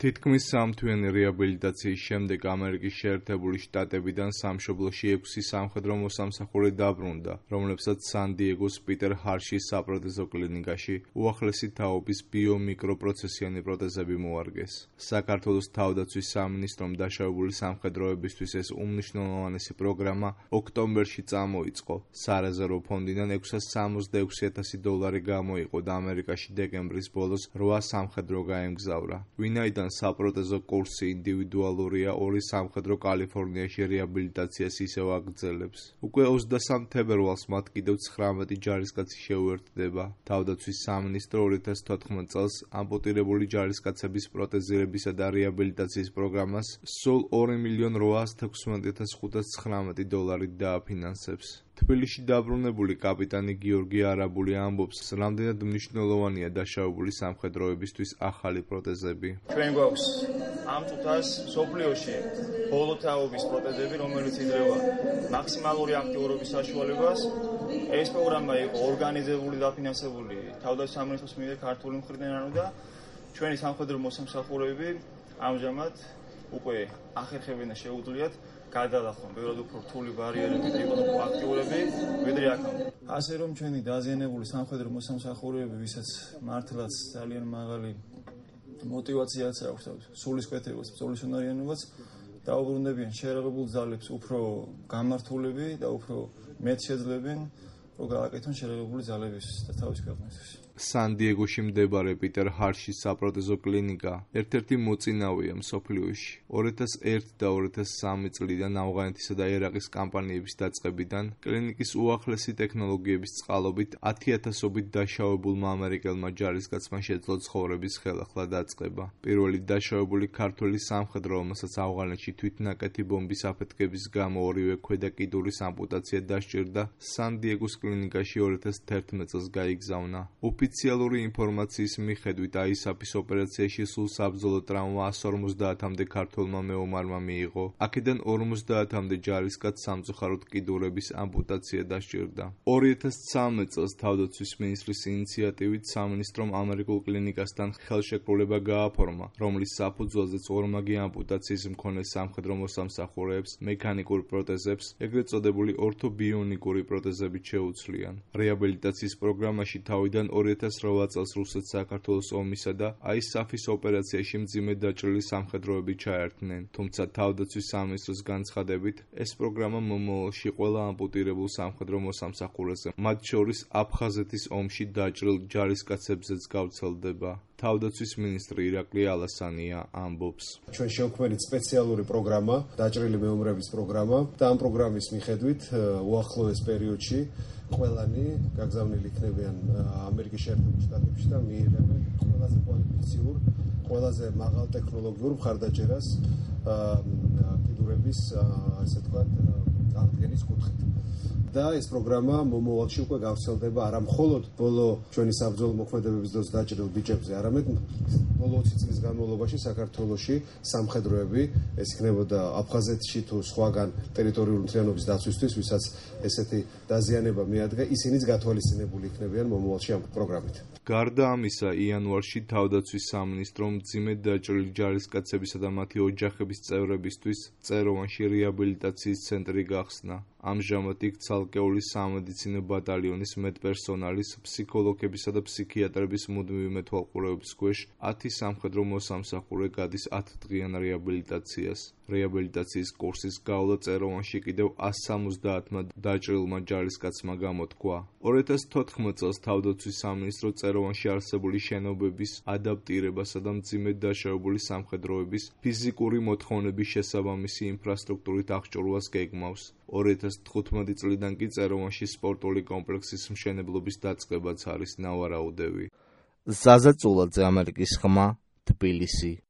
თითქმის სამთვიანი რეაბილიტაციის შემდეგ ამერიკის შეერთებული შტატებიდან სამშობლოში 6 სამხედრო მოსამსახურე დაბრუნდა, რომლებსაც სან-დიეგოს პიტერ ჰარშის საპროტეზო კლინიკაში უახლესი თაობის ბიომიკროპროცესიანი პროტეზები მოარგეს. საქართველოს თავდაცვის სამინისტრომ დაშავებული სამხედროებისთვის ეს უმნიშვნელოვანესი პროგრამა ოქტომბერში წამოიწყო. სარეზერვო ფონდიდან $666,000 გამოიყო და ამერიკაში დეკემბრის ბოლოს 8 სამხედრო გაემგზავრა. ვინაიდან საპროტეზო კურსი ინდივიდუალურია, 2 სამხედრო კალიფორნიაში რეაბილიტაციას ისევ აგრძელებს. უკვე 23 თებერვალს მათ კიდევ 19 ჯარისკაცი შეუერთდება. თავდაცვის სამინისტრო 2014 წელს ამპუტირებული ჯარისკაცების პროტეზირებისა და რეაბილიტაციის პროგრამას სულ $2,816,519 დააფინანსებს. თბილისში დაბრუნებული კაპიტანი გიორგი არაბული ამბობს, რამდენად მნიშვნელოვანია დაშავებული სამხედროებისთვის ახალი პროტეზები. ჩვენ გვაქვს ამ წუთას მსოფლიოში ბოლო თაობის პროტეზები, რომელიც იძლევა მაქსიმალური აქტიურობის საშუალებას. ეს პროგრამა იყო ორგანიზებული და დაფინანსებული თავდაცვის სამინისტროს მიერ ქართული მხრიდან და ჩვენი სამხედრო მოსამსახურეები ამჟამად უკვე ახერხებენ და შეუძლიათ გადალახონ ბევრად უფრო რთული ბარიერები და იყონ უფრო აქტიურები, ვიდრე აქამდე. ასე რომ ჩვენი დაზიანებული სამხედრო მოსამსახურეები, ვისაც მართლაც ძალიან მაღალი მოტივაციაც აქვს და სულისკვეთებაც, ბრძოლისუნარიანობაც დაუბრუნდებიან შეერაღებულ ძალებს უფრო გამართულები და უფრო მეტ შეძლებენ, რომ გააკეთონ შეერაღებული ძალების და თავის ქვეყნისთვის. სან-დიეგოში მდებარე პიტერ ჰარშის საპროტეზო კლინიკა ერთ-ერთი მოწინავეა მსოფლიოში. 2001 და 2003 წლიდან ავღანეთისა და ერაყის კამპანიების დაწყებიდან კლინიკის უახლესი ტექნოლოგიების წყალობით 10,000-ობით დაშავებულმა ამერიკელმა ჯარისკაცმა შეძლო ცხოვრების ხელახლა დაწყება. პირველი დაშავებული ქართველი სამხედრო, რომელსაც ავღანეთში თვითნაკეთი ბომბის აფეთქების გამო ორივე ქვედა კიდურის ამპუტაცია დასჭირდა, სან-დიეგოს კლინიკაში 2011 წელს გაიგზავნა. ოფიციალური ინფორმაციის მიხედვით აისაფის ოპერაციაში სულ საბრძოლო ტრავმა 150-მდე ქართველმა მეომარმა მიიღო. აქედან 50-მდე ჯარისკაცს სამწუხაროდ კიდურების ამპუტაცია დასჭირდა. 2013 წელს თავდაცვის მინისტრის ინიციატივით სამინისტრომ ამერიკულ კლინიკასთან ხელშეკრულება გააფორმა, რომლის საფუძველზეც ორმაგი ამპუტაციის მქონე სამხედრო მოსამსახურეებს მექანიკურ პროტეზებს, ეგრეთ წოდებული ორთობიონიკური პროტეზებით შეუცვლიან. რეაბილიტაციის პროგრამაში თავიდან 2008 წელს რუსეთ-საქართველოს ომისა და აისაფის ოპერაციაში მძიმედ დაჭრილი სამხედროები ჩაერთნენ, თუმცა თავდაცვის სამინისტროს განცხადებით, ეს პროგრამა მომავალში ყველა ამპუტირებულ სამხედრო მოსამსახურეზე, მათ შორის აფხაზეთის ომში დაჭრილ ჯარისკაცებზეც გავრცელდება. თავდაცვის მინისტრი ირაკლი ალასანია ამბობს. ჩვენ შევქმნით სპეციალური პროგრამა, დაჭრილი მეომრების პროგრამა და ამ პროგრამის მიხედვით უახლოეს პერიოდში ყველანი გაგზავნილი იქნებიან ამერიკის შეერთებულ შტატებში და მიიღებენ ყველაზე კვალიფიციურ, ყველაზე მაღალ ტექნოლოგიურ მხარდაჭერას კიდურების, ასე ვთქვათ, აღდგენის კუთხით. და ეს პროგრამა მომავალში უკვე გავრცელდება არა მხოლოდ ბოლო ჩვენი საბრძოლო მოქმედებების დროს დაჭრილ ბიჭებზე, არამედ ბოლო 20 წლის განმავლობაში საქართველოში სამხედროები, ეს იქნებოდა აფხაზეთში თუ სხვაგან ტერიტორიული მთლიანობის დაცვისთვის, ვისაც ესეთი დაზიანება მიადგა, ისინიც გათვალისწინებული იქნებიან მომავალში ამ პროგრამით. გარდა ამისა, იანვარში თავდაცვის სამინისტრომ მძიმედ დაჭრილი ჯარისკაცებისა და მათი ოჯახების წევრებისთვის წეროვანში რეაბილიტაციის ცენტრი გახსნა. ამჟამად იქ ცალკეული სამედიცინო ბატალიონის მედპერსონალის, ფსიქოლოგებისა და ფსიქიატრების მუდმივი მეთვალყურეობის ქვეშ 10 სამხედრო მოსამსახურე გადის 10 დღიან რეაბილიტაციას. რეაბილიტაციის კურსის გავლა წეროვანში კიდევ 170-მა დაჭრილმა ჯარისკაცმა გამოთქვა. 2014 წელს თავდაცვის სამინისტრო წეროვანში არსებული შენობების ადაპტირებასა და მძიმედ დაშავებული სამხედროების ფიზიკური მოთხოვნების შესაბამისი ინფრასტრუქტურით აღჭურვას გეგმავს. 2015 წლიდან კი წეროვანში სპორტული კომპლექსის მშენებლობის დაწყებაც არის ნავარაუდევი. ზაზა წულაძე, ამერიკის ხმა, თბილისი.